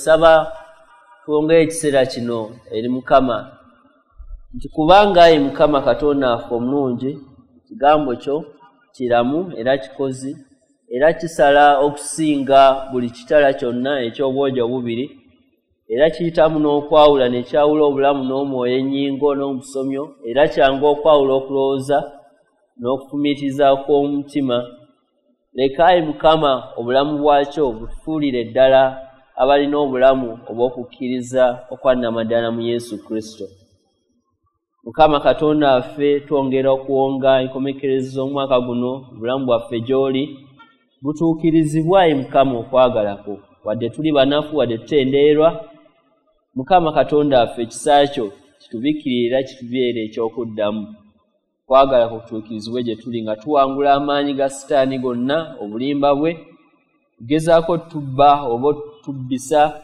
Saba twongere ekiseera kino eri Mukama nti kubanga ayi Mukama Katonda waffe omulungi, ekigambo kyo kiramu era kikozi era kisala okusinga buli kitala kyonna eky'obwogi obubiri, era kiyitamu n'okwawula ne kyawula obulamu n'omwoyo, ennyingo n'obusomyo, era kyangu okwawula okulowooza n'okufumiitiriza kw'omutima. Leka ayi Mukama obulamu bwakyo butufuulire ddala abalina obulamu obw'okukkiriza okwa nnamaddala mu Yesu Kristo. Mukama Katonda waffe, twongera okuwonga enkomekerezi z'omwaka guno, obulamu bwaffe gy'oli butuukirizibwa ayi Mukama okwagala kwo. Wadde tuli banafu, wadde tutendeerwa, Mukama Katonda waffe ekisa kyo kitubikkirire era kitubeere eky'okuddamu. Okwagala kwo kutuukirizibwe gye tuli nga tuwangula amaanyi ga Sitaani gonna, obulimba bwe, kugezaako otubba oba otubbisa,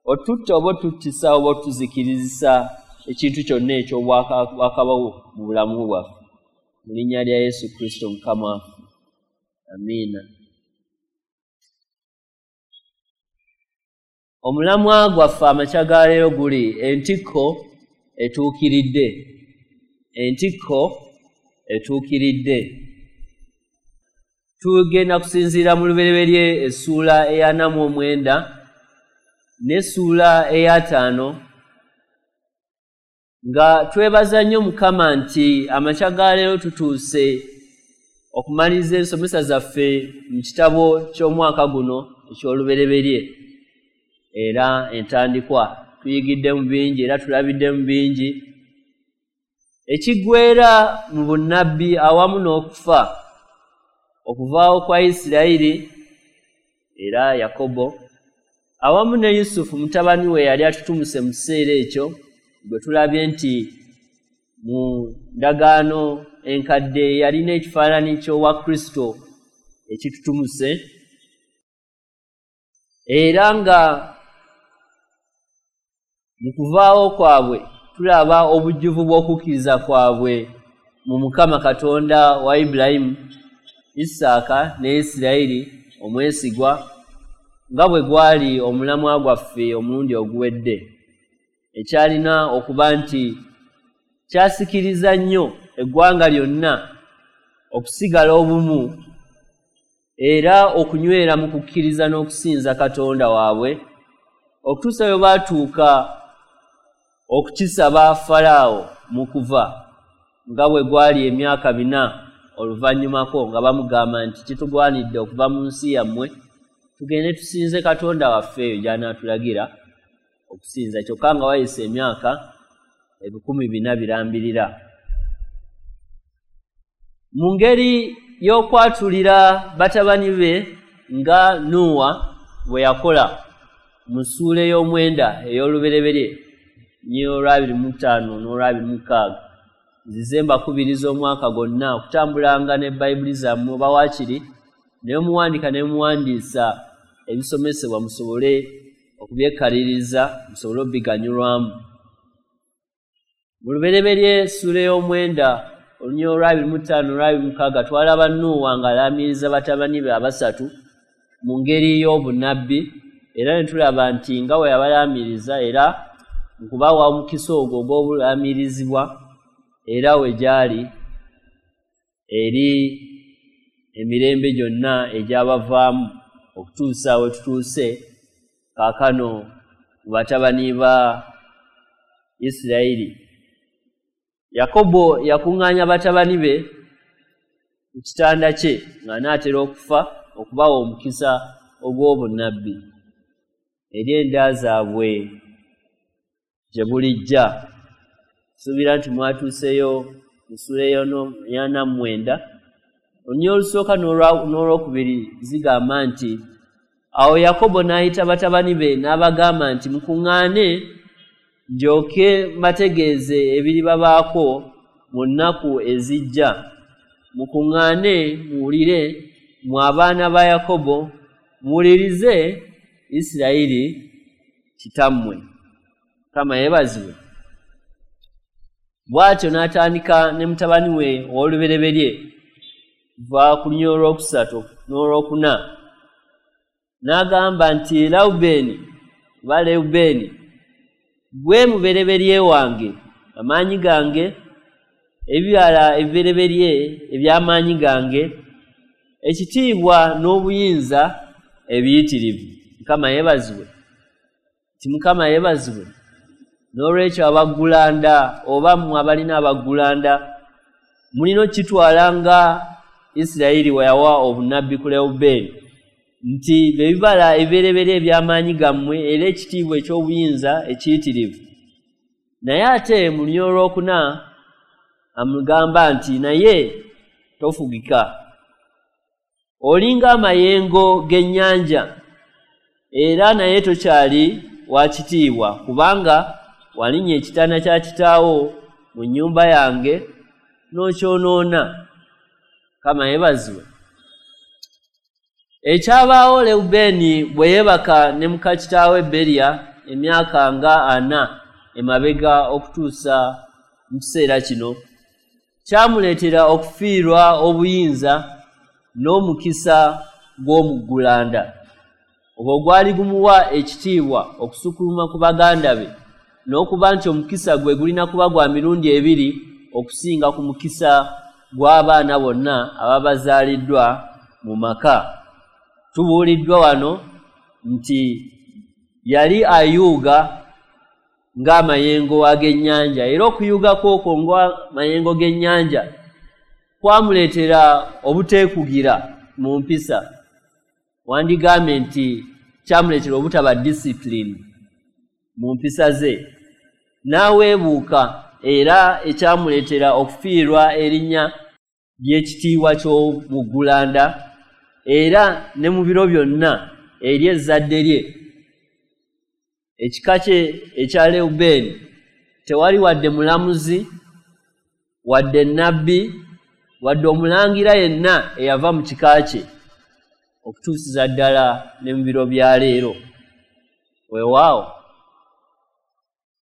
otutta oba otuttisa oba otuzikirizisa ekintu kyonna eky'obwakabawo mu bulamu bwaffe. Mu linnya lya Yesu Kristo Mukama waffe. Amiina. Omulamwa gwaffe amakya ga leero guli entikko etuukiridde. Entikko etuukiridde. Tugenda kusinziira mu Lubereberye essuula eya 49 n'essuula eya 5, nga twebaza nnyo Mukama nti amakya ga leero tutuuse okumaliriza ensomesa zaffe mu kitabo ky'omwaka guno eky'Olubereberye era entandikwa. Tuyigiddemu bingi era tulabiddemu bingi. Ekiggweera mu bunnabbi awamu n'okufa, okuvaawo kwa Isirayiri era Yakobo awamu ne Yusufu mutabani we yali atutumuse mu kiseera ekyo, gwe tulabye nti mu ndagaano enkadde yalina ekifaananyi ky'owa Kristo ekitutumuse, era nga mu kuvaawo kwabwe tulaba obujjuvu bw'okukkiriza kwabwe mu Mukama Katonda wa Ibulayimu, Isaaka ne Isirayiri omwesigwa, nga bwe gwali omulamwa gwaffe omulundi oguwedde, ekyalina okuba nti kyasikiriza nnyo eggwanga lyonna okusigala obumu era okunywera mu kukkiriza n'okusinza Katonda waabwe, okutuusa bwe baatuuka okukisaba Falaawo mu kuva, nga bwe gwali emyaka 4 oluvannyumako, nga bamugamba nti kitugwanidde okuva mu nsi yammwe tugende tusinze Katonda waffe eyo gy'anaatulagira okusinza, kyokka nga wayise emyaka 4,000 birambirira. Mu ngeri y'okwatulira batabani be nga Nuuwa bwe yakola mu ssuula ey'omwenda ey'Olubereberye 25 n'olw26, nzize mbakubiriza omwaka gwonna okutambulanga ne Bayibuli zammwe oba waakiri ne muwandiika ne muwandiisa ebisomesebwa musobole okubyekaliriza, musobole okubiganyulwamu. Mu Lubereberye ssuula ey'omwenda 25 n'olw26 twalaba Nuuwa ng'alaamiriza batabani be abasatu mu ngeri y'obunnabbi, era ne tulaba nti nga bwe yabalaamiriza era mu kubawa omukisa ogwo ogw'obulaamirizibwa era we gyali eri emirembe gyonna egyabavaamu okutuusa we tutuuse kaakano mu batabani ba Isirayiri. Yakobo yakuŋŋaanya batabani be ku kitanda kye ng'anaatera okufa okubawa omukisa ogw'obunnabbi eri enda zaabwe gye bulijja. Nsuubira nti mwatuuseeyo mu ssuula eya 49. Olunyiriri olusooka n'olwokubiri zigamba nti awo Yakobo n'ayita batabani be n'abagamba nti mukuŋŋaane ndyoke mbategeeze ebiribabaako mu nnaku ezijja. Mukuŋŋaane muwulire, mmwe abaana ba Yakobo, muwulirize Isirayiri kitammwe. Mukama yeebazibwe. Bw'atyo n'atandika ne mutabani we ow'olubereberye va ku lunyiriri olwokusatu n'olwokuna, n'agamba nti Lewubeeni oba Lewubeeni, gwe mubereberye wange, amaanyi gange, ebibala ebibereberye eby'amaanyi gange, ekitiibwa n'obuyinza ebiyitirivu. Mukama yeebazibwe. Nti Mukama yeebazibwe. N'olwekyo abaggulanda oba mmwe abalina abaggulanda mulina okukitwala nga Isirayiri we yawa obunnabbi ku Lewubeeni nti be bibala ebibereberye eby'amaanyi gammwe era ekitiibwa eky'obuyinza ekiyitirivu. Naye ate mu lunyiriri olwokuna amugamba nti naye tofugika, olinga amayengo g'ennyanja, era naye tokyali wa kitiibwa, kubanga walinnya ekitanda kya kitaawo mu nnyumba yange n'okyonoona. Mukama yeebazibwe. Ekyabaawo Lewubeeni bwe yeebaka ne muka kitaawe Beriya emyaka nga 40 emabega okutuusa mu kiseera kino, kyamuleetera okufiirwa obuyinza n'omukisa gw'omuggulanda ogwo gwali gumuwa ekitiibwa okusukkuluma ku baganda be, n'okuba nti omukisa gwe gulina kuba gwa mirundi ebiri okusinga ku mukisa gw'abaana bonna ababazaaliddwa mu maka. Tubuuliddwa wano nti yali ayuuga ng'amayengo ag'ennyanja, era okuyuuga kwokwo ng'amayengo g'ennyanja kwamuleetera obuteekugira mu mpisa. Wandigambye nti kyamuleetera obutaba discipline mu mpisa ze, n'aweebuuka, era ekyamuleetera okufiirwa erinnya ly'ekitiibwa ky'omuggulanda, era ne mu biro byonna eri ezzadde lye. Ekika kye ekya Lewubeeni tewali wadde mulamuzi, wadde nnabbi, wadde omulangira yenna eyava mu kika kye okutuusiza ddala ne mu biro bya leero. Weewaawo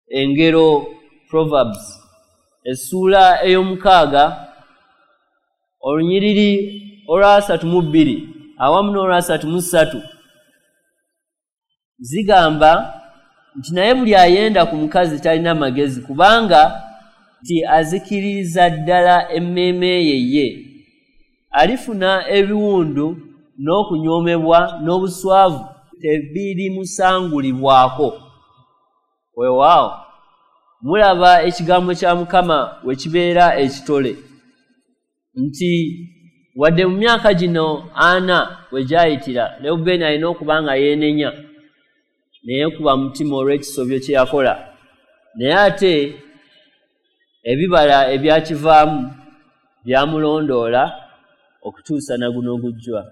engero, Proverbs, essuula 6 olunyiriri olwa 32 awamu n'olwa 33 zigamba nti naye buli ayenda ku mukazi talina magezi, kubanga nti azikiririza ddala emmeeme ye ye. Alifuna ebiwundu n'okunyoomebwa n'obuswavu tebirimusangulibwako. Weewaawo mulaba ekigambo kya Mukama we kibeera ekitole nti wadde mu myaka gino 40 we gyayitira, Lewubeeni alina okuba nga yeenenya neyeekuba mutima olw'ekisobyo kye yakola, naye ate ebibala ebyakivaamu byamulondoola okutuusa na guno gujjwa.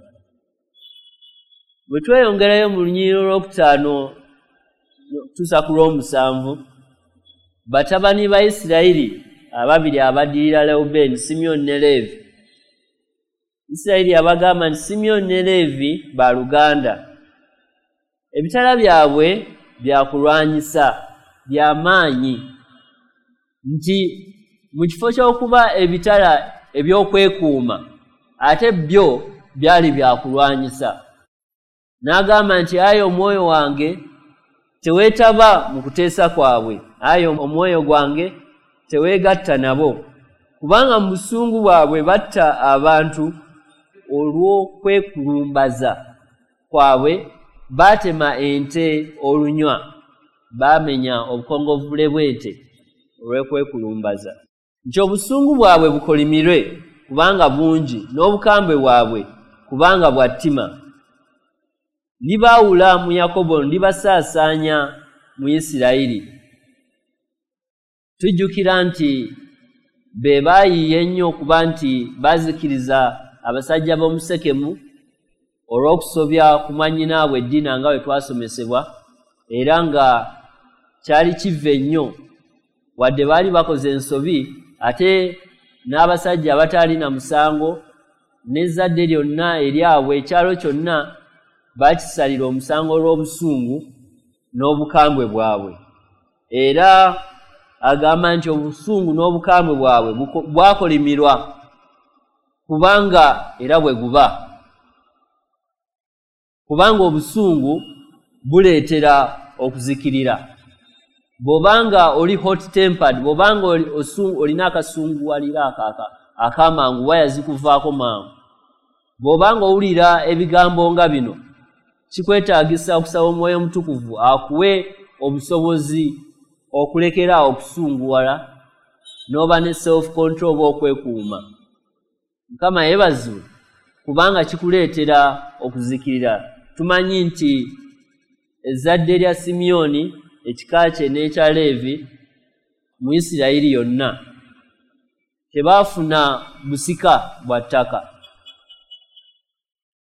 Bwe tweyongerayo mu lunyiriri 5 okutuusa ku 7, batabani ba Isirayiri ababiri abaddirira Lewubeeni, Simyoni ne Leevi. Isirayiri yabagamba nti Simyoni ne Leevi baluganda, ebitala byabwe byakulwanyisa bya maanyi, nti mu kifo ky'okuba ebitala eby'okwekuuma ate byo byali byakulwanyisa. N'agamba nti ayi omwoyo wange teweetaba mu kuteesa kwabwe, ayi omwoyo gwange teweegatta nabo, kubanga mu busungu bwabwe batta abantu olw'okwekulumbaza kwabwe baatema ente olunywa, baamenya obukongovvule bw'ente olw'okwekulumbaza. Nti obusungu bwabwe bukolimirwe kubanga bungi, n'obukambwe bwabwe kubanga bwa ttima. Ndibaawula mu Yakobo, ndibasaasaanya mu Isirayiri. Tujjukira nti be baayiiya ennyo okuba nti baazikiriza abasajja b'omu Sekemu olw'okusobya ku mwannyinaabwe Dina nga bwe twasomesebwa, era nga kyali kiva ennyo wadde baali bakoze ensobi, ate n'abasajja abataalina musango n'ezzadde lyonna eryabwe, ekyalo kyonna baakisalira omusango olw'obusungu n'obukambwe bwabwe. Era agamba nti obusungu n'obukambwe bwabwe bwakolimirwa kubanga era bwe guba, kubanga obusungu buleetera okuzikirira. Bw'obanga oli hot tempered, bw'obanga olina akasunguwalira akamangu, waya zikuvaako mangu, bw'obanga owulira ebigambo nga bino, kikwetaagisa okusaba Omwoyo Omutukuvu akuwe obusobozi okulekera okusunguwala n'oba ne self control oba okwekuuma. Mukama yeebazibwe, kubanga kikuleetera okuzikirira. Tumanyi nti ezzadde lya Simyoni, ekika kye n'ekya Leevi mu Isirayiri yonna tebaafuna busika bwa ttaka.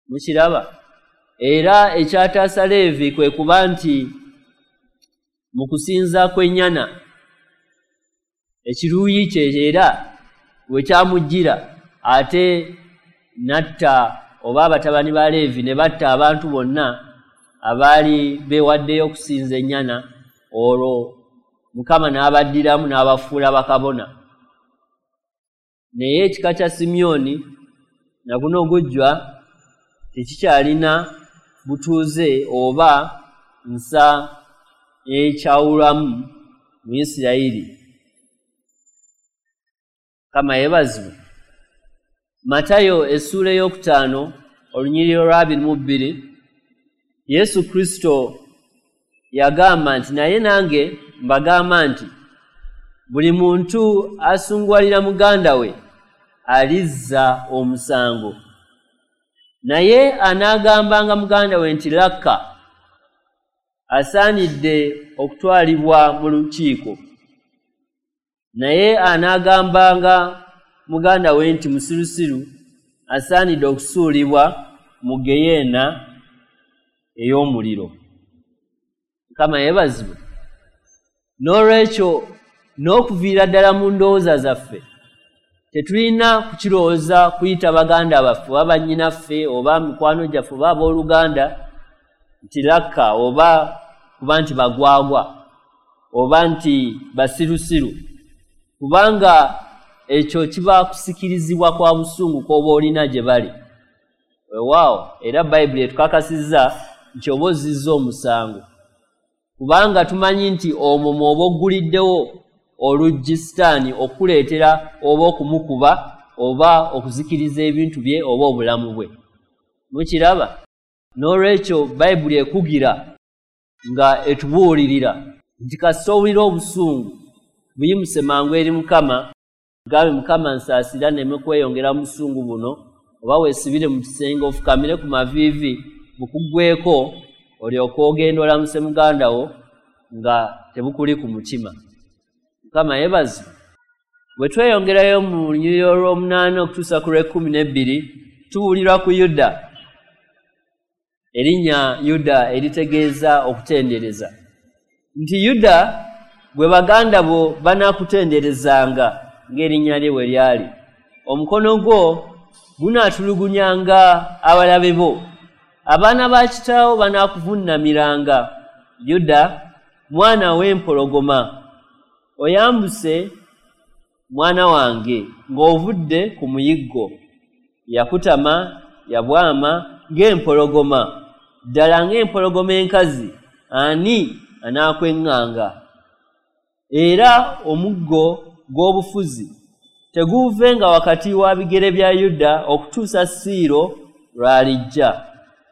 Mukiraba? Era ekyataasa Leevi kwe kuba nti mu kusinza kw'ennyana ekiruyi kye era we kyamujjira, ate n'atta oba abatabani ba Leevi ne batta abantu bonna abaali beewaddeyo okusinza ennyana, olwo Mukama n'abaddiramu n'abafuula bakabona. Naye ekika kya Simyoni na guno gujjwa tekikyalina butuuze oba nsa ekyawulwamu mu Isirayiri. Mukama yeebazibwe. Matayo essuula 5 olunyiriri olwa 22, Yesu Kristo yagamba nti, naye nange mbagamba nti buli muntu asunguwalira muganda we alizza omusango, naye anaagambanga muganda we nti lakka, asaanidde okutwalibwa mu lukiiko, naye anaagambanga muganda we nti musirusiru, asaanidde okusuulibwa mu geyeena ey'omuliro. Mukama yeebazibwe. N'olwekyo n'okuviira ddala mu ndowooza zaffe tetulina kukirowooza kuyita baganda baffe oba bannyinaffe oba mikwano gyaffe oba abooluganda nti lakka, oba kuba nti bagwagwa oba nti basirusiru, kubanga ekyo kiba kusikirizibwa kwa busungu kw'oba olina gye bali. Weewaawo, era Bayibuli etukakasizza nti oba ozizza omusango, kubanga tumanyi nti omwo mw'oba ogguliddewo oluggi Sitaani okukuleetera oba okumukuba oba okuzikiriza ebintu bye oba obulamu bwe. Mukiraba? N'olwekyo Bayibuli ekugira nga etubuulirira nti kasita owulira obusungu buyimuse mangu eri Mukama, gambe Mukama nsaasira nneme kweyongera mu busungu buno, oba weesibire mu kisenge ofukamire ku maviivi bukuggweko, olyoke ogenda olamuse muganda wo nga tebukuli ku mutima. Mukama yeebazibwe. Bwe tweyongerayo mu lunyiriri olw'omunaana okutuusa ku lw'e12, tuwulirwa ku Yuda, erinnya Yuda eritegeeza okutendereza, nti Yuda bwe baganda bo banaakutenderezanga ng'erinnya lye bwe lyali, omukono gwo gunaatulugunyanga abalabe bo, abaana ba kitaawo banaakuvuunamiranga. Yuda mwana w'empologoma, oyambuse mwana wange ng'ovudde ku muyiggo. Yakutama yabwama ng'empologoma, ddala ng'empologoma enkazi, ani anaakweŋŋanga? Era omuggo gw'obufuzi teguuvenga wakati wa bigere bya Yuda okutuusa Siiro lw'alijja,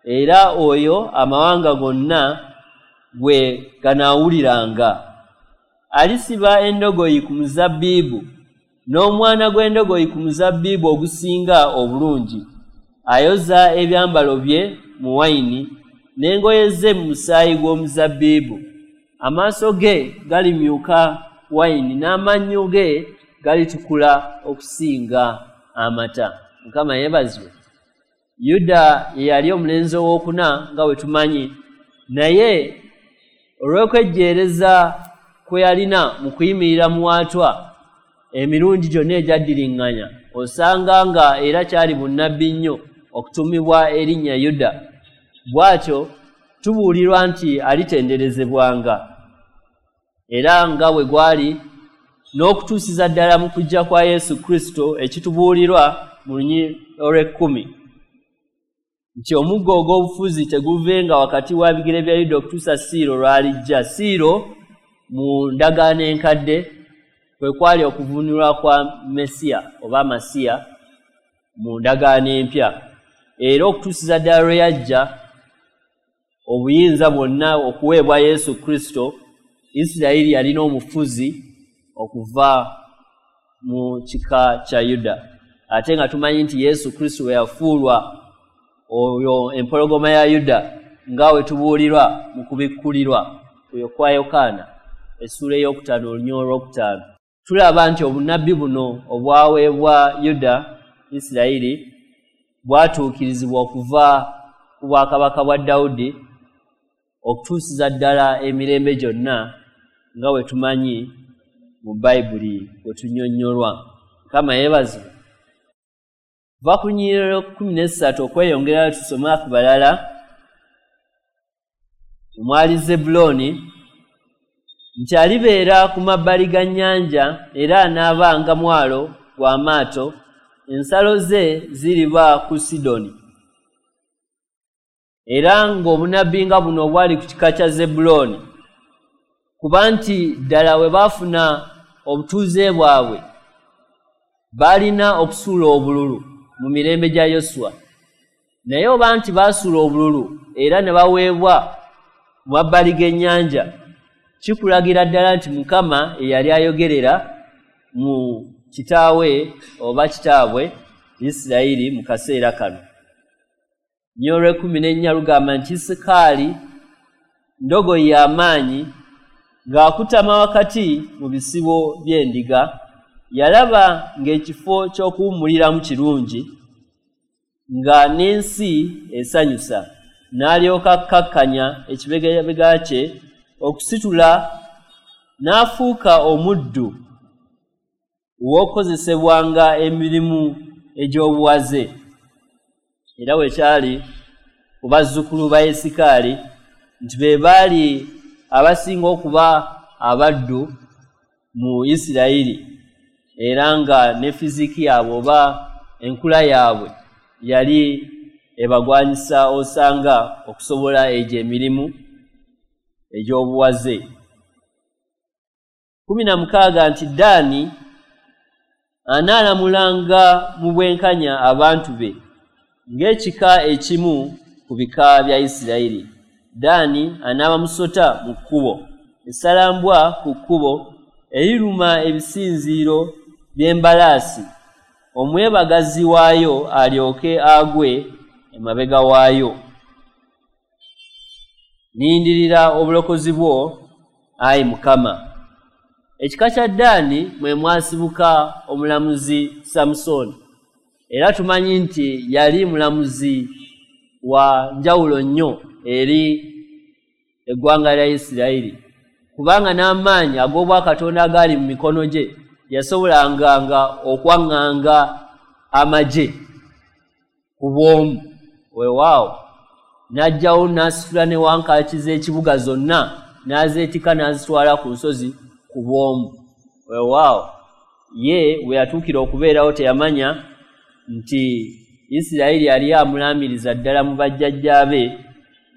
era oyo amawanga gonna gwe ganaawuliranga. Alisiba endogoyi ku muzabbibu, n'omwana gw'endogoyi ku muzabbibu ogusinga obulungi. Ayoza ebyambalo bye mu wayini, n'engoye ze mu musaayi gw'omuzabbibu. Amaaso ge galimyuka wayini, n'amannyo ge galitukula okusinga amata. Mukama yeebazibwe. Yuda ye yali omulenzi owookuna nga bwe tumanyi, naye olw'okwejjeereza kwe yalina mu kuyimirira muwaatwa emirundi gyonna egyaddiriŋŋanya, osanga nga era kyali bunnabbi nnyo okutumibwa erinnya Yuda. Bw'atyo tubuulirwa nti alitenderezebwanga, era nga bwe gwali n'okutuusiza ddala mu kujja kwa Yesu Kristo ekitubuulirwa mu lunyiriri olw'ekkumi, Nti omuggo ogw'obufuzi teguvenga wakati wa bigere bya Yuda okutuusa Siiro lw'alijja. Siiro mu ndagaano enkadde kwe kwali okuvunulwa kwa Mesiya oba Masiya mu ndagaano empya. Era okutuusiza ddala lwe yajja obuyinza bwonna okuweebwa Yesu Kristo, Isirayiri yalina omufuzi okuva mu kika kya Yuda. Ate nga tumanyi nti Yesu Kristo bwe yafuulwa oyo empologoma ya Yuda nga we tubuulirwa mu kubikkulirwa oyo kwa Yokaana essuula 5 olunyiriri 5. Tulaba nti obunnabbi buno obwaweebwa Yuda Isirayiri bwatuukirizibwa okuva ku bwakabaka bwa Dawudi okutuusiza ddala emirembe gyonna nga we tumanyi mu Bayibuli we tunnyonnyolwa. Mukama yeebazibwe. Va ku lunyiriri 13 okweyongerayo tusome ku balala. Omwali Zebbulooni nti alibeera ku mabbali ga nnyanja era anaabanga mwalo gw'amaato, ensalo ze ziriba ku Sidoni. Era ng'obunnabbi nga buno obwali ku kika kya Zebbulooni, kuba nti ddala we baafuna obutuuze bwabwe baalina okusuula obululu mu mirembe gya Yoswa. Naye oba nti baasuula obululu era ne baweebwa mu mabbali g'ennyanja, kikulagira ddala nti Mukama eyali ayogerera mu kitaawe oba kitaabwe Isirayiri mu kaseera kano. Nnyo 14 lugamba nti Isakaali ndogoyi y'amaanyi ng'akutama wakati mu bisibo by'endiga, yalaba ng'ekifo ky'okuwummuliramu kirungi, nga n'ensi esanyusa, n'alyoka akkakkanya ekibegabega kye okusitula n'afuuka omuddu ow'okukozesebwanga emirimu egy'obuwaze. Era bwe kyali ku bazzukulu ba Isakaali nti be baali abasinga okuba abaddu mu Isirayiri, era nga ne fiziki yaabwe oba enkula yaabwe yali ebagwanyisa osanga okusobola egyo emirimu egy'obuwaze. 16 nti Ddaani anaalamulanga mu bwenkanya abantu be ng'ekika ekimu ku bika bya Isirayiri. Ddaani anaaba musota mu kkubo, essalambwa ku kkubo eriruma ebisinziiro by'embalaasi, omwebagazi waayo alyoke agwe emabega waayo. Nnindirira obulokozi bwo, ayi Mukama. Ekika kya Ddaani mwe mwasibuka omulamuzi Samusooni. Era tumanyi nti yali mulamuzi wa njawulo nnyo eri eggwanga lya Isirayiri, kubanga n'amaanyi ag'obwakatonda agaali mu mikono gye yasobolanga okwaŋŋanga amagye ku bw'omu. Weewaawo n'ajjawo n'asitula ne wankaaki z'ekibuga zonna n'azeetika n'azitwala ku nsozi ku bw'omu. Weewaawo ye we yatuukira okubeerawo teyamanya nti Isirayiri yali amulaamiriza ddala mu bajjajjaabe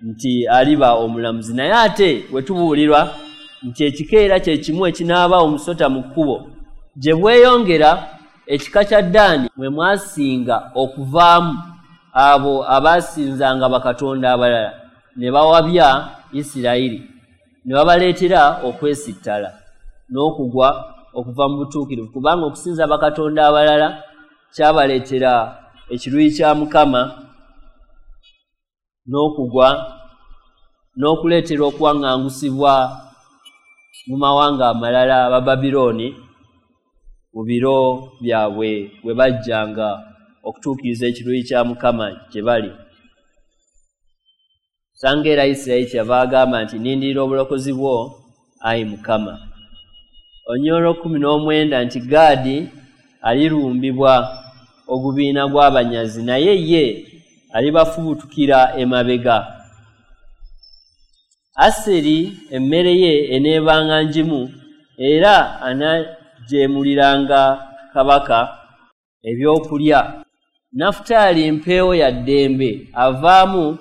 nti aliba omulamuzi. Naye ate we tubuulirwa nti ekika era kye kimu ekinaaba omusota mu kkubo gye bweyongera, ekika kya Ddaani mwe mwasinga okuvaamu abo abaasinzanga bakatonda abalala ne bawabya Isirayiri ne babaleetera okwesittala n'okugwa okuva mu butuukirivu, kubanga okusinza bakatonda abalala kyabaleetera ekiruyi kya Mukama n'okugwa n'okuleetera okuwaŋŋangusibwa mu mawanga amalala Abababirooni mu biro byabwe bwe bajjanga okutuukiriza ekiruyi kya Mukama gye bali. Sanga era Isirayiri kyeyava agamba nti nnindirira obulokozi bwo, ayi Mukama. Olunyiriri 19 nti Gaadi alirumbibwa ogubiina gw'abanyazi, naye ye alibafubutukira emabega. Aseri emmere ye eneebanga ngimu, era anajeemuliranga kabaka ebyokulya. Nafutaali mpeewo ya ddembe, avaamu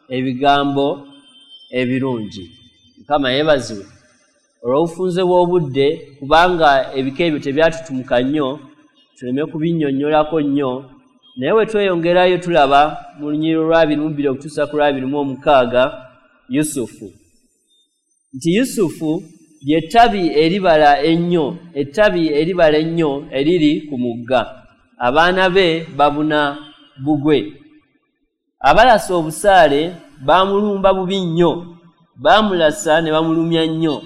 ebigambo ebirungi. Mukama yeebazibwe olw'obufunze bw'obudde, kubanga ebika ebyo tebyatutumuka nnyo, tuleme kubinnyonnyolako nnyo. Naye bwe tweyongerayo tulaba mu lunyiriri olwa 22 okutuusa ku lwa 26 Yusufu, nti Yusufu ly'ettabi eribala ennyo, ettabi eribala ennyo eriri ku mugga. Abaana be babuna bugwe. Abalasa obusaale baamulumba bubi nnyo, baamulasa ne bamulumya nnyo,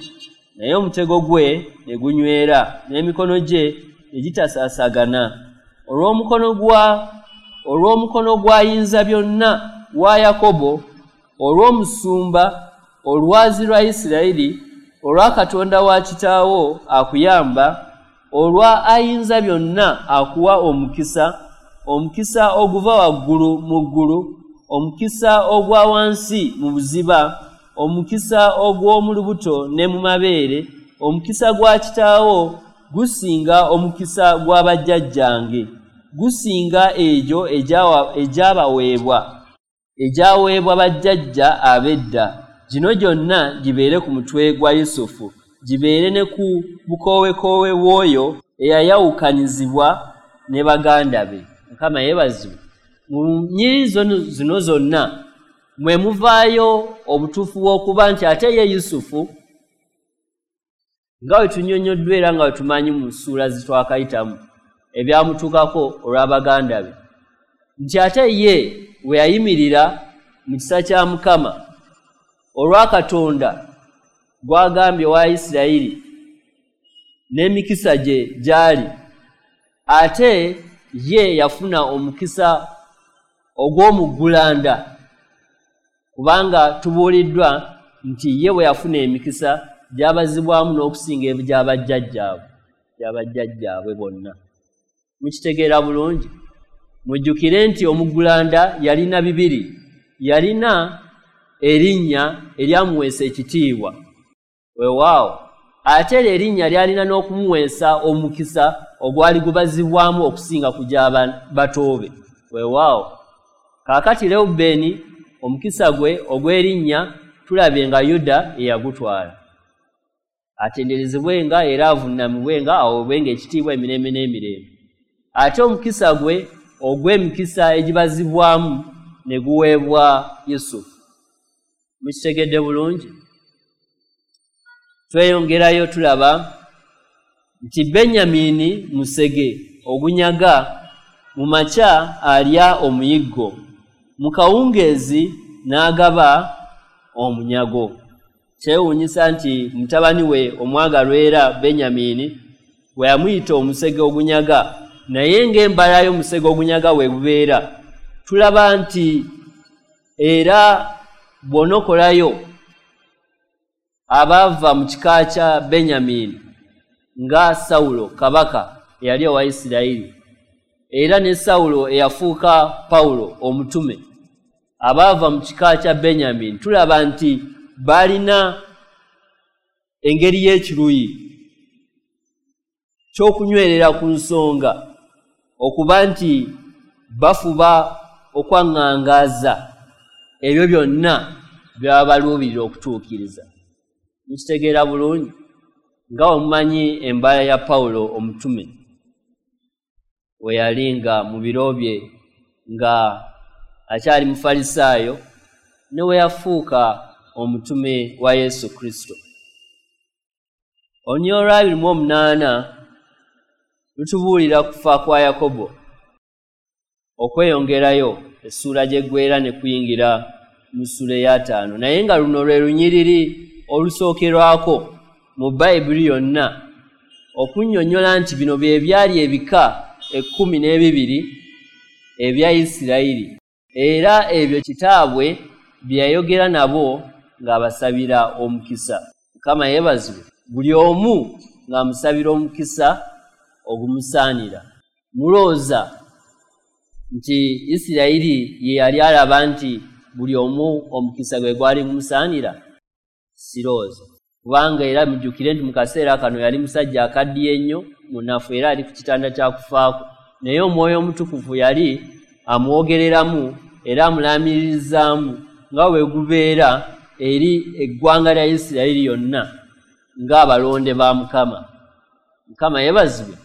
naye omutego gwe ne gunywera, n'emikono gye ne gitasaasagana. Olw'omukono gwa Ayinzabyonna wa Yakobo, olw'omusumba, olwazi lwa Isirayiri, olwa Katonda wa kitaawo akuyamba, olwa Ayinzabyonna akuwa omukisa, omukisa oguva waggulu mu ggulu, omukisa ogwa wansi mu buziba, omukisa ogw'omu lubuto ne mu mabeere. Omukisa gwa kitaawo gusinga omukisa gwa bajjajjange, gusinga egyo egyaweebwa bajjajja ab'edda. Gino gyonna gibeere ku mutwe gwa Yusufu, gibeere ne ku bukoowekoowe bw'oyo eyayawukanyizibwa ne baganda be. Mukama yeebazibwe. Mu nnyiriri zino zonna mwe muvaayo obutuufu bw'okuba nti ate ye Yusufu, nga bwe tunnyonnyoddwa era nga bwe tumanyi mu ssuula zitwakayitamu ebyamutuukako olw'abaganda be, nti ate ye we yayimirira mu kisa kya Mukama olwa Katonda gw'agambye wa Isirayiri n'emikisa gye gy'ali, ate ye yafuna omukisa ogw'omuggulanda, kubanga tubuuliddwa nti ye bwe yafuna emikisa gyabazibwamu n'okusinga egy'abajjajjaabwe bonna. Mukitegeera bulungi? Mujjukire nti omuggulanda yalina bibiri, yalina erinnya eryamuweesa ekitiibwa, weewaawo, ate era erinnya lyalina n'okumuweesa omukisa ogwali gubazibwamu okusinga ku gy'abatoobe, weewaawo. Kaakati Lewubeeni omukisa gwe ogw'erinnya tulabye nga Yuda eyagutwala. Atenderezebwenga era avunnamibwenga, aweebwenga ekitiibwa emirembe n'emirembe. Ate omukisa gwe ogw'emikisa egibazibwamu ne guweebwa Yusufu. Mukitegedde bulungi? Tweyongerayo tulaba nti Benyamini musege ogunyaga, mu makya alya omuyiggo, mu kawungeezi n'agaba omunyago. Kyewuunyisa nti mutabani we omwagalwa era Benyamini bwe yamuyita omusege ogunyaga, naye ng'embala y'omusege ogunyaga we gubeera, tulaba nti era bw'onokolayo abaava mu kika kya Benyamini nga Sawulo kabaka eyali owa Isirayiri, era ne Sawulo eyafuuka Pawulo omutume, abaava mu kika kya Benyamini, tulaba nti balina engeri y'ekiruyi ky'okunywerera ku nsonga, okuba nti bafuba okwaŋŋangaaza ebyo byonna byaba baluubirira okutuukiriza. Mukitegeera bulungi? Nga omumanyi embala ya Pawulo omutume we yali nga mu biro bye nga akyali Mufalisaayo, ne we yafuuka omutume wa Yesu Kristo. Olunyiriri olwa 28 lutubuulira kufa kwa Yakobo okweyongerayo essuula gy'eggweera ne kuyingira mu ssuula ey'ataano, naye nga luno lwe lunyiriri olusookerwako mu Bayibuli yonna okunnyonnyola nti bino bye byali ebika 12 ebya Isirayiri, era ebyo kitaabwe bye yayogera nabo ng'abasabira omukisa. Mukama yeebazibwe, buli omu ng'amusabira omukisa ogumusaanira. Mulowooza nti Isirayiri ye yali alaba nti buli omu omukisa gwe gwali gumusaanira? Sirowooza, kubanga era mujjukire nti mu kaseera kano yali musajja akaddiye ennyo, munafu, era ali ku kitanda kya kufaako, naye Omwoyo Omutukuvu yali amwogereramu era amulaamirizaamu nga bwe gubeera eri eggwanga lya Isirayiri yonna ng'abalonde ba Mukama. Mukama yeebazibwe,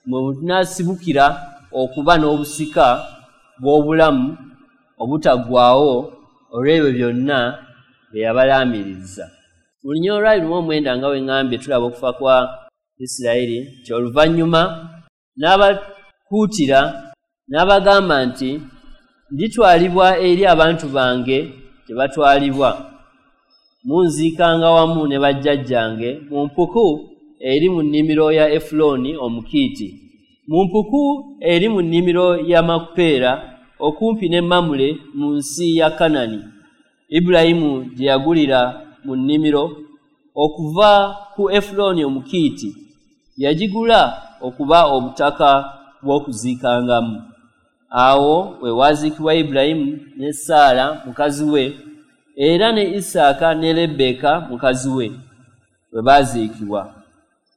mwe tunaasibukira okuba n'obusika bw'obulamu obutaggwaawo olw'ebyo byonna bye yabalaamiriza. Mu lunyiriri lwa 29 nga bwe ŋŋambye tulaba okufa kwa Isirayiri nti oluvannyuma n'abakuutira n'abagamba nti nditwalibwa eri abantu bange gye batwalibwa, munziikanga wamu ne bajjajjange mu mpuku eri mu nnimiro ya Efulooni Omukiiti, mu mpuku eri mu nnimiro ya Makupeera okumpi ne Mamule mu nsi ya Kanani, Ibulayimu gye yagulira mu nnimiro okuva ku Efulooni Omukiiti, yagigula okuba obutaka bw'okuziikangamu. Awo we waaziikibwa Ibulayimu ne Saala mukazi we, era ne Isaaka ne Lebbeeka mukazi we we baaziikibwa.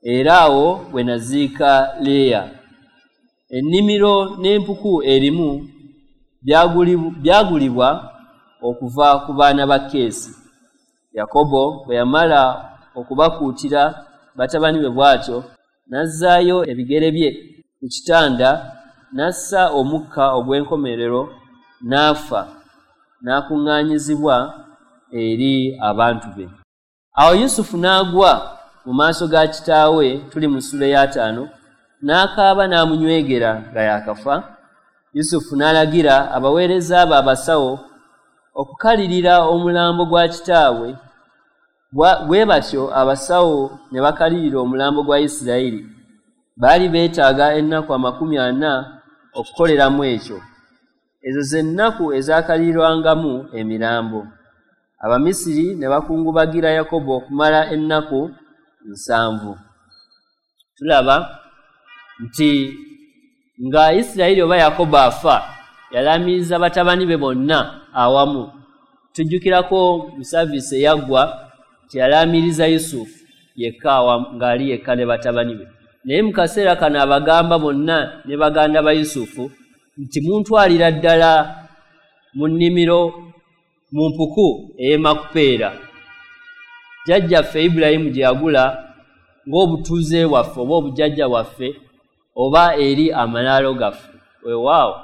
Era awo we naziika Leeya. Ennimiro n'empuku erimu byagulibwa okuva ku baana ba Keesi. Yakobo bwe yamala okubakuutira batabani be bw'atyo, n'azzaayo ebigere bye ku kitanda, n'assa omukka ogw'enkomerero, n'afa, n'akuŋŋaanyizibwa eri abantu be. Awo Yusufu n'agwa mu maaso ga kitaawe, tuli mu ssuula ey'ataano, n'akaaba n'amunywegera nga yaakafa. Yusufu n'alagira abaweereza be abasawo okukalirira omulambo gwa kitaabwe. Bwe batyo abasawo ne bakalirira omulambo gwa Isirayiri. Baali beetaaga ennaku 40 okukoleramu ekyo. Ezo ze nnaku ezakalirirwangamu emirambo. Abamisiri ne bakungubagira Yakobo okumala ennaku 7. Tulaba nti nga Isirayiri oba Yakobo afa, yalaamiriza batabani be bonna awamu. Tujjukirako mu saviisi eyaggwa nti yalaamiriza Yusufu yekka ng'ali yekka ne batabani be. Naye mu kaseera kano abagamba bonna ne baganda ba Yusufu nti muntwalira ddala mu nnimiro mu mpuku ey'e Makupeera, jjajjaffe Ibulayimu gye yagula ng'obutuuze bwaffe oba obujjajja bwaffe oba eri amalaalo gaffe. Weewaawo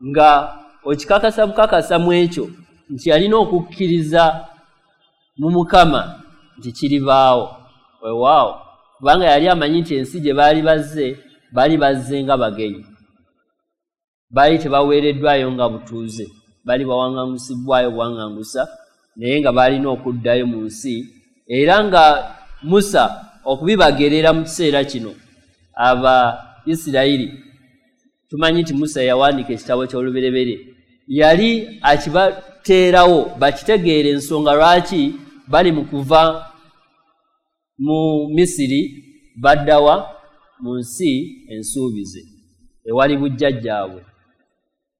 nga okikakasa bukakasa mu ekyo nti yalina okukkiriza mu Mukama nti kiribaawo. Weewaawo kubanga yali amanyi nti ensi gye baali bazze nga bagenyi, baali tebaweereddwayo nga butuuze, baali bawaŋŋangusibbwayo buwaŋŋangusa, naye nga baalina okuddayo mu nsi. Era nga Musa okubibagerera mu kiseera kino aba Isirayiri, tumanyi nti Musa yawandiika ekitabo ky'Olubereberye, yali akibateerawo bakitegeera ensonga lwaki bali mu kuva mu Misiri baddawa mu nsi ensuubize ewali bujjajjaabwe.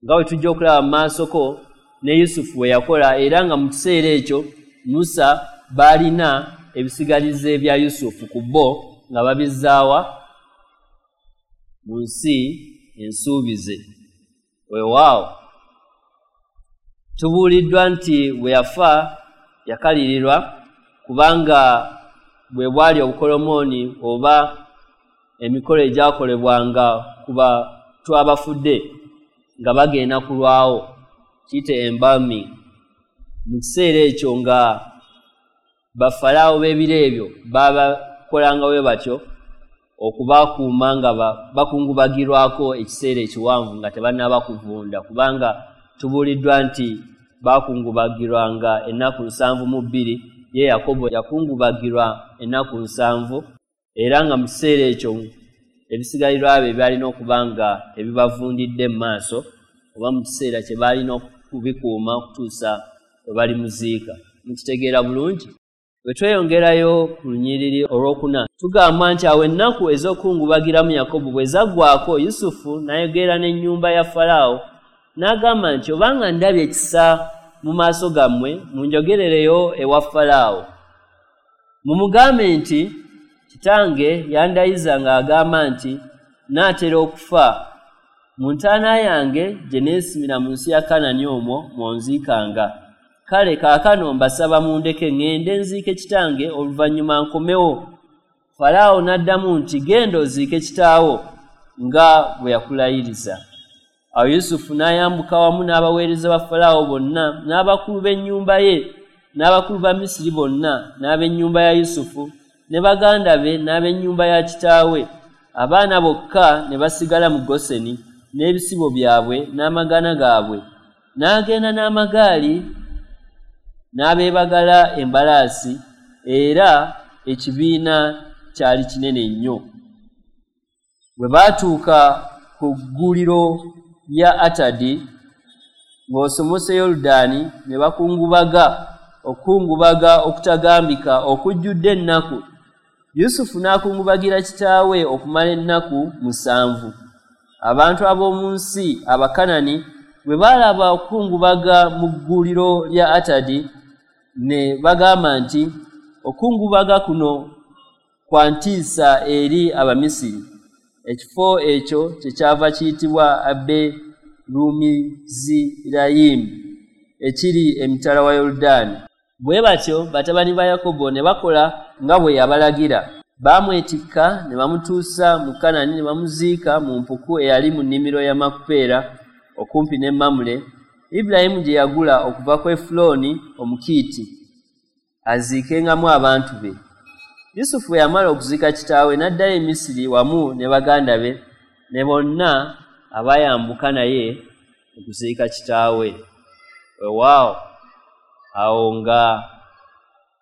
Nga bwe tujja okulaba mu maasoko ne Yusufu bwe yakola, era nga mu kiseera ekyo Musa baalina ebisigalize bya Yusufu ku bo nga babizzaawa mu nsi ensuubize. Weewaawo tubuuliddwa nti bwe yafa yakalirirwa, kubanga bwe bwali obukolomooni oba emikolo egyakolebwanga ku bantu abafudde nga bagenda kulwawo, kiyite embalming. Mu kiseera ekyo nga bafalaawo b'ebiro ebyo babakolanga bwe batyo okubakuuma nga bakungubagirwako ekiseera ekiwanvu nga tebannaba kuvunda, kubanga tubuuliddwa nti bakungubagirwanga ennaku 72, ye Yakobo yakungubagirwa ennaku 7, era nga mu kiseera ekyo ebisigalirwa bye byalina okuba nga tebibavundidde mu maaso oba mu kiseera kye baalina okubikuuma okutuusa we balimuziika. Mukitegeera bulungi? Bwe tweyongerayo ku lunyiriri olwokuna, tugamba nti awo ennaku ez'okukungubagiramu Yakobo bwe zaggwaako, Yusufu n'ayogera n'ennyumba ya Falaawo n'agamba nti obanga ndabye ekisa mu maaso gammwe, munjogerereyo ewa Falaawo. Mumugambe nti kitange yandayiza ng'agamba nti naatera okufa, Mu ntaana yange gye neesimira mu nsi ya Kanani omwo mw'onziikanga. Kale kaakano mbasaba mundeke ŋŋende nziike kitange, oluvannyuma nkomewo. Falaawo n'addamu nti, Genda oziike kitaawo nga bwe yakulayiriza. Awo Yusufu n'ayambuka wamu n'abaweereza ba Falaawo bonna, n'abakulu b'ennyumba ye, n'abakulu ba Misiri bonna, n'ab'ennyumba ya Yusufu, ne baganda be, n'ab'ennyumba ya kitaawe. Abaana bokka ne basigala mu Goseni n'ebisibo byabwe n'amagana gaabwe. N'agenda n'amagaali n'abeebagala embalaasi, era ekibiina kyali kinene nnyo. Bwe baatuuka ku gguliro lya Atadi ng'osomose Yoludaani, ne bakungubaga okukungubaga okutagambika okujjudde ennaku. Yusufu n'akungubagira kitaawe okumala ennaku 7. Abantu ab'omu nsi Abakanani bwe baalaba okukungubaga mu gguliro lya Atadi, ne bagamba nti, Okukungubaga kuno kwa ntiisa eri Abamisiri. Ekifo ekyo kyekyava kiyitibwa Aberumizirayimu, ekiri emitala wa Yoludaani. Bwe batyo batabani ba Yakobo ne bakola nga bwe yabalagira. Baamwetikka ne bamutuusa mu Kanani ne bamuziika mu mpuku eyali mu nnimiro ya Makupeera okumpi ne Mamule, Ibulayimu gye yagula okuva ku Efulooni Omukiiti, aziikengamu abantu be. Yusufu bwe yamala okuziika kitaawe, n'addayo e Misiri wamu ne baganda be ne bonna abaayambuka naye okuziika kitaawe. Weewaawo, awo nga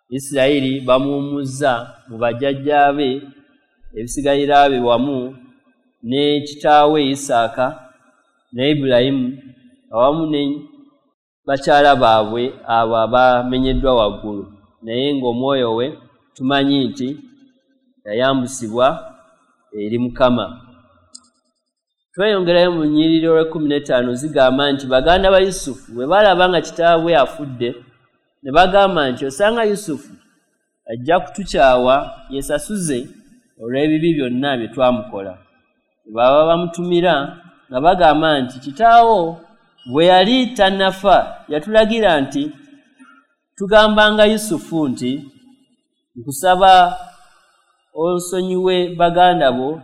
Isirayiri bamuwummuzza mu bajjajjaabe, ebisigalira bye wamu ne kitaawe Isaaka ne Ibulayimu awamu ne bakyala baabwe abo abamenyeddwa waggulu, naye ng'omwoyo we tumanyi nti yayambusibwa eri Mukama. Tweyongerayo mu nnyiriri olw'e15 zigamba nti baganda ba Yusufu bwe baalaba nga kitaabwe afudde, ne bagamba nti, Osanga Yusufu ajja kutukyawa yeesasuze olw'ebibi byonna bye twamukola. Bwe baba bamutumira nga bagamba nti, Kitaawo bwe yali tannafa yatulagira nti tugambanga Yusufu nti, Nkusaba onsonyiwe baganda bo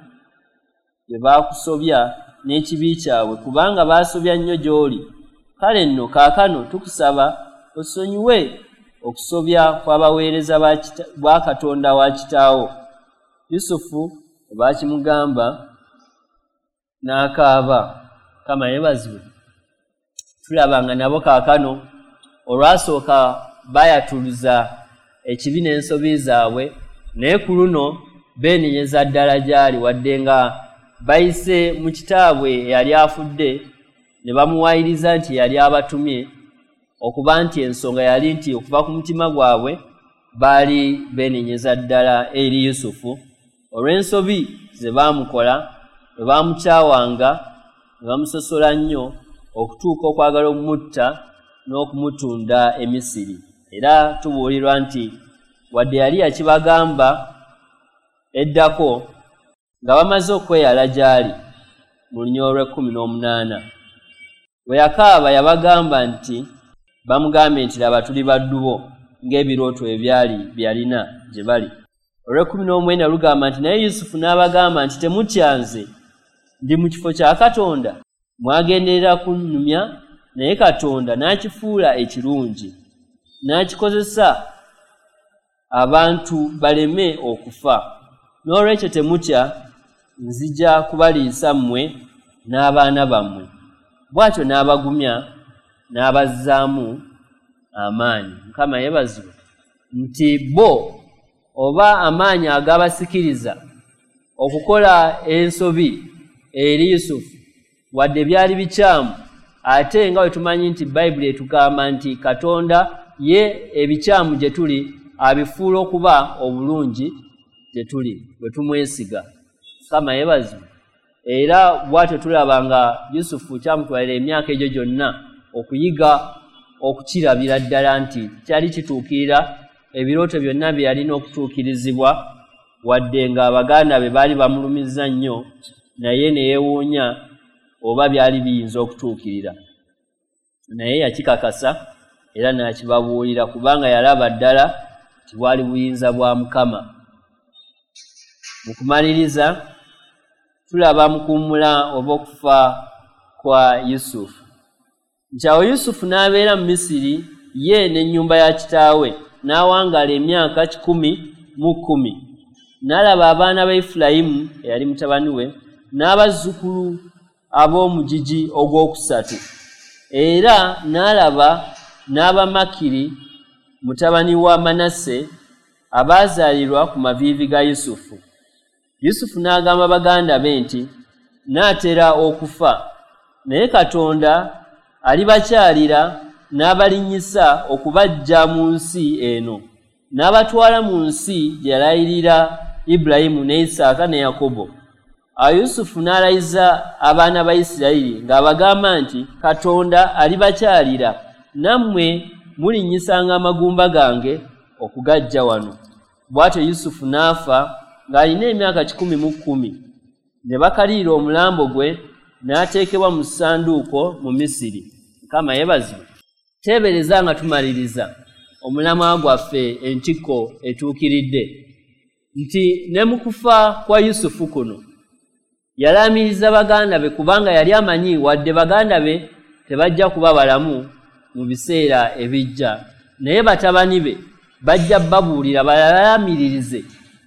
bye baakusobya n'ekibi kyabwe, kubanga baasobya nnyo gy'oli. Kale nno kaakano tukusaba osonyiwe okusobya kw'abaweereza ba Katonda wa kitaawo. Yusufu bwe baakimugamba n'akaaba. Mukama yeebazibwe. Tulaba nga nabo kaakano olwasooka baayatuluza ekibi n'ensobi zaabwe, naye ku luno beenenyeza ddala gy'ali, wadde nga bayise mu kitaabwe eyali afudde ne bamuwaayiriza nti yali abatumye, okuba nti ensonga yali nti okuva ku mutima gwabwe baali beenenyeza ddala eri Yusufu olw'ensobi ze baamukola, bwe baamukyawanga ne bamusosola nnyo okutuuka okwagala okumutta n'okumutunda e Misiri. Era tubuulirwa nti wadde yali yakibagamba eddako nga bamaze okweyala gy'ali mu lunyiriri olw'e18, bwe yakaaba yabagamba nti bamugambye nti, Laba tuli baddu bo, ng'ebirooto ebyali bye yalina gye bali. Olw'e19 lugamba nti, Naye Yusufu n'abagamba nti, Temutya, nze ndi mu kifo kya Katonda. Mwagenderera kunnumya, naye Katonda n'akifuula ekirungi, n'akikozesa abantu baleme okufa. N'olwekyo temutya, nzija kubaliisa mmwe n'abaana bammwe. Bw'atyo n'abagumya n'abazzaamu amaanyi. Mukama yeebazibwe nti bo oba amaanyi agabasikiriza okukola ensobi eri Yusufu, wadde byali bikyamu, ate nga bwe tumanyi nti Bayibuli etugamba nti Katonda ye ebikyamu gye tuli abifuula okuba obulungi gye tuli bwe tumwesiga. Mukama yeebazibwe. Era bw'atyo tulaba nga Yusufu kyamutwalira emyaka egyo gyonna okuyiga okukirabira ddala nti kyali kituukirira ebirooto byonna bye yalina okutuukirizibwa, wadde nga baganda be baali bamulumizza nnyo, naye ne yeewuunya oba byali biyinza okutuukirira. Naye yakikakasa era n'akibabuulira, kubanga yalaba ddala nti bwali buyinza bwa Mukama. Mu kumaliriza tulaba mu kuwummula oba okufa kwa Yusufu. Nti awo Yusufu n'abeera mu Misiri ye n'ennyumba ya kitaawe, n'awangaala emyaka 110. N'alaba abaana ba Efulayimu eyali mutabani we n'abazzukulu ab'omugigi ogwokusatu. Era n'alaba n'Abamakiri mutabani wa Manase abaazaalirwa ku maviivi ga Yusufu. Yusufu n'agamba baganda be nti, "Naatera okufa, naye Katonda alibakyalira n'abalinnyisa okubaggya mu nsi eno, n'abatwala mu nsi gye yalayirira Ibulayimu ne Isaaka ne Yakobo." Awo Yusufu n'alayiza abaana ba Isirayiri ng'abagamba nti, "Katonda alibakyalira, nammwe mulinnyisanga amagumba gange okugaggya wano." Bw'atyo Yusufu n'afa ng'alina emyaka 110. Ne bakalirira omulambo gwe, n'ateekebwa mu ssanduuko mu Misiri. Mukama yeebazibwe. Teebereza nga tumaliriza omulamwa gwaffe entikko etuukiridde, nti ne mu kufa kwa Yusufu kuno yalaamiriza baganda be, kubanga yali amanyi wadde baganda be tebajja kuba balamu mu biseera ebijja, naye batabani be bajja babuulira balaamiririze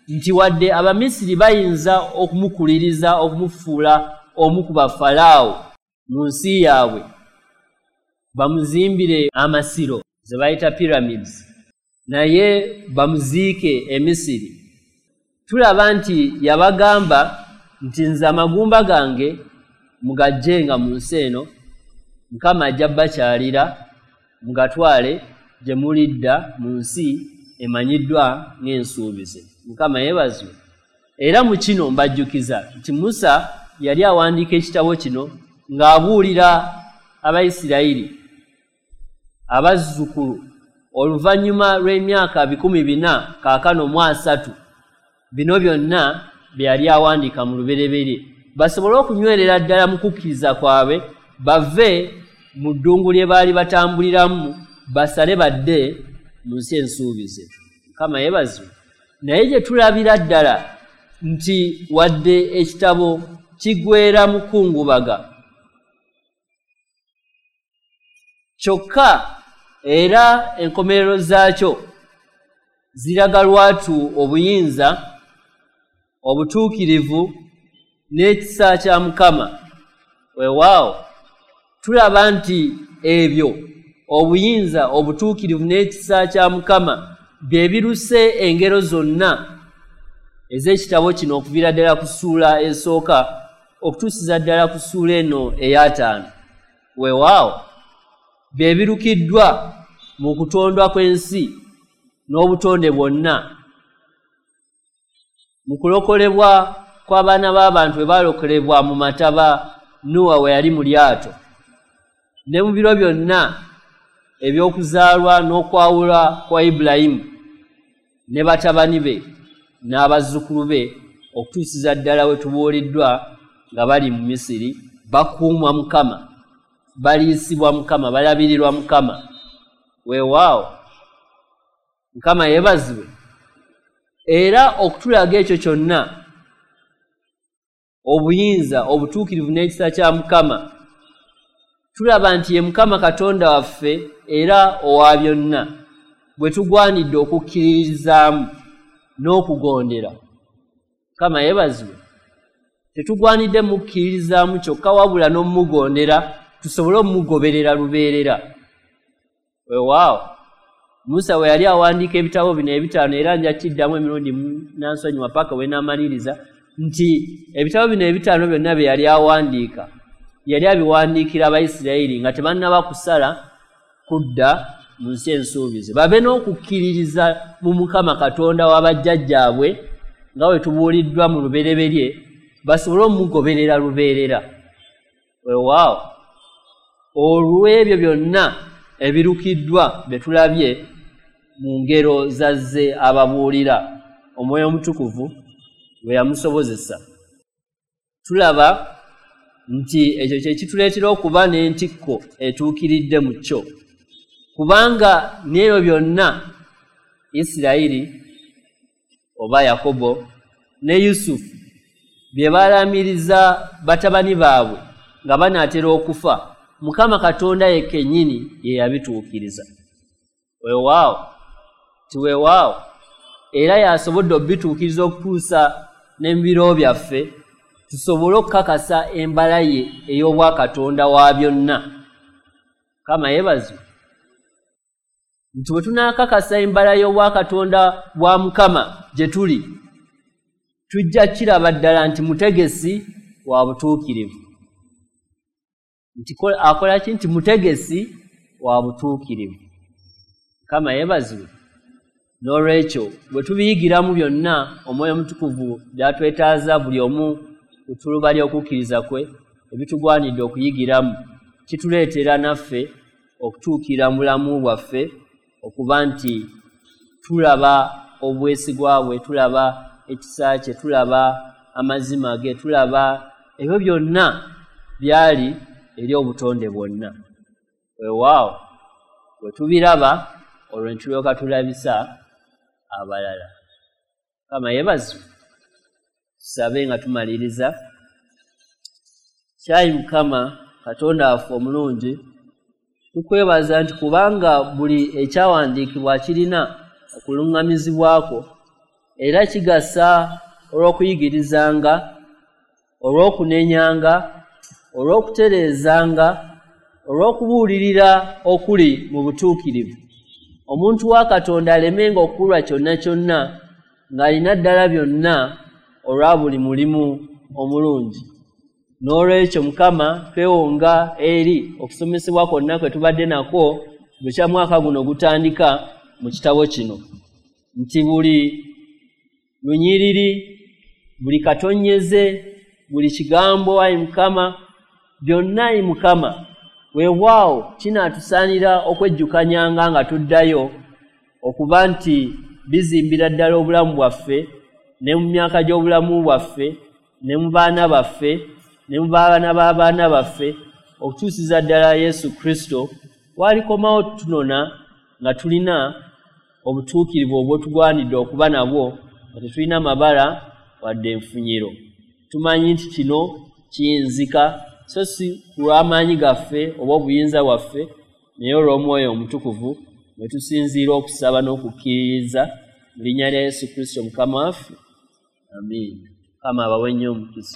nti wadde Abamisiri bayinza okumukuliriza okumufuula omu ku bafalaawo mu nsi yaabwe, bamuzimbire amasiro ze bayita pyramids, naye bamuziike e Misiri. Tulaba nti yabagamba nti, "Nze amagumba gange mugajjenga mu nsi eno, Mukama ajja bakyalira mugatwale gye mulidda mu nsi emanyiddwa ng'ensuubize." Mukama yeebazibwe. Era mu kino mbajjukiza nti Musa yali awandiika ekitabo kino ng'abuulira Abayisirayiri abazzukulu oluvannyuma lw'emyaka 430 bino byonna bye yali awandiika mu lubereberye, basobole okunywerera ddala mu kukkiriza kwabwe, bave mu ddungu lye baali batambuliramu, basale badde mu nsi ensuubize. Mukama yeebazibwe. Naye gye tulabira ddala nti wadde ekitabo kiggweera mu kungubaga, kyokka era enkomerero zaakyo ziraga lwatu obuyinza, obutuukirivu n'ekisa kya Mukama. Weewaawo tulaba nti ebyo obuyinza, obutuukirivu n'ekisa kya Mukama bye biruse engero zonna ez'ekitabo kino okuviira ddala ku ssuula esooka okutuusiza ddala ku ssuula eno ey'ataano. Weewaawo bye birukiddwa mu kutondwa kw'ensi n'obutonde bwonna, mu kulokolebwa kw'abaana b'abantu bwe baalokolebwa mu mataba Nuwa we yali mu lyato, ne mu biro byonna eby'okuzaalwa n'okwawula kwa Ibulayimu ne batabani be n'abazzukulu be okutuusiza ddala we tubuuliddwa nga bali mu Misiri, bakuumwa Mukama, baliisibwa Mukama, balabirirwa Mukama. Weewaawo Mukama yeebazibwe. Era okutulaga ekyo kyonna, obuyinza, obutuukirivu n'ekisa kya Mukama, tulaba nti ye Mukama Katonda waffe era owa byonna, bwe tugwanidde okukkiririzaamu n'okugondera. Mukama yeebazibwe. Tetugwanidde mukkiririzaamu kyokka, wabula n'omugondera, tusobole omugoberera lubeerera. Weewaawo Musa bwe yali awandiika ebitabo bino ebitaano, era nja kiddamu emirundi nansonyiwa paka we naamaliriza, nti ebitabo bino ebitaano byonna bye yali awandiika yali abiwandiikira Abayisirayiri nga tebannaba kusala kudda mu nsi ensuubize, babe n'okukkiririza mu Mukama Katonda w'abajjajjaabwe nga bwe tubuuliddwa mu lubereberye, basobole omugoberera lubeerera. Weewaawo olw'ebyo byonna ebirukiddwa bye tulabye mu ngero zazze ababuulira Omwoyo Omutukuvu bwe yamusobozesa, tulaba nti ekyo kye kituleetera okuba n'entikko etuukiridde mu kyo, kubanga n'ebyo byonna Isirayiri oba Yakobo ne Yusufu bye baalamiriza batabani baabwe nga banaatera okufa, Mukama Katonda ye kennyini ye yabituukiriza. Weewaawo, ti weewaawo, era y'asobodde okubituukiriza okutuusa ne mu biro byaffe, tusobole okukakasa embala ye ey'obwakatonda wa byonna. Mukama yeebazibwe nti bwe tunaakakasa embala y'obwakatonda bwa Mukama gye tuli, tujja kiraba ddala nti mutegesi wa butuukirivu. Nti akola ki? Nti mutegesi wa butuukirivu. Mukama yeebazibwe. N'olwekyo bwe tubiyigiramu byonna Omwoyo Omutukuvu by'atwetaaza buli omu ku ttuluba ly'okukkiriza kwe, ebitugwanidde okuyigiramu, kituleetera naffe okutuukira mu bulamu bwaffe okuba nti tulaba obwesigwa bwe, tulaba ekisa kye, tulaba amazima ge, tulaba ebyo byonna byali eri obutonde bwonna. Weewaawo, bwe tubiraba olwo ne tulyoka tulabisa abalala. Mukama yeebazibwe. Tusabe nga tumaliriza. Kyayi Mukama Katonda waffe omulungi, tukwebaza nti kubanga buli ekyawandiikibwa kirina okuluŋŋamizibwako, era kigasa olw'okuyigirizanga, olw'okunenyanga, olw'okutereezanga, olw'okubuulirira okuli mu butuukirivu, omuntu wa Katonda alemenga okukulwa kyonna kyonna, ng'alina ddala byonna olwa buli mulimu omulungi. N'olwekyo Mukama, twewonga eri okusomesebwa kwonna kwe tubadde nakwo bukya mwaka guno gutandika mu kitabo kino, nti buli lunyiriri, buli katonnyeze, buli kigambo, ayi Mukama, byonna ayi Mukama, weewaawo kinaatusaanira okwejjukanyanga nga tuddayo okuba nti bizimbira ddala obulamu bwaffe ne mu myaka gy'obulamu bwaffe ne mu baana baffe ne mu baana b'abaana baffe, okutuusiza ddala Yesu Kristo w'alikomawo tutunona nga tulina obutuukirivu obwotugwanidde okuba nabwo, nga tetulina mabala wadde enfunyiro. Tumanyi nti kino kiyinzika so si ku lw'amaanyi gaffe oba obuyinza bwaffe, naye olw'Omwoyo Omutukuvu mwe tusinziira okusaba n'okukkiririza mu linnya lya Yesu Kristo Mukama waffe. Amiina. Mukama abawe nnyo omukisa.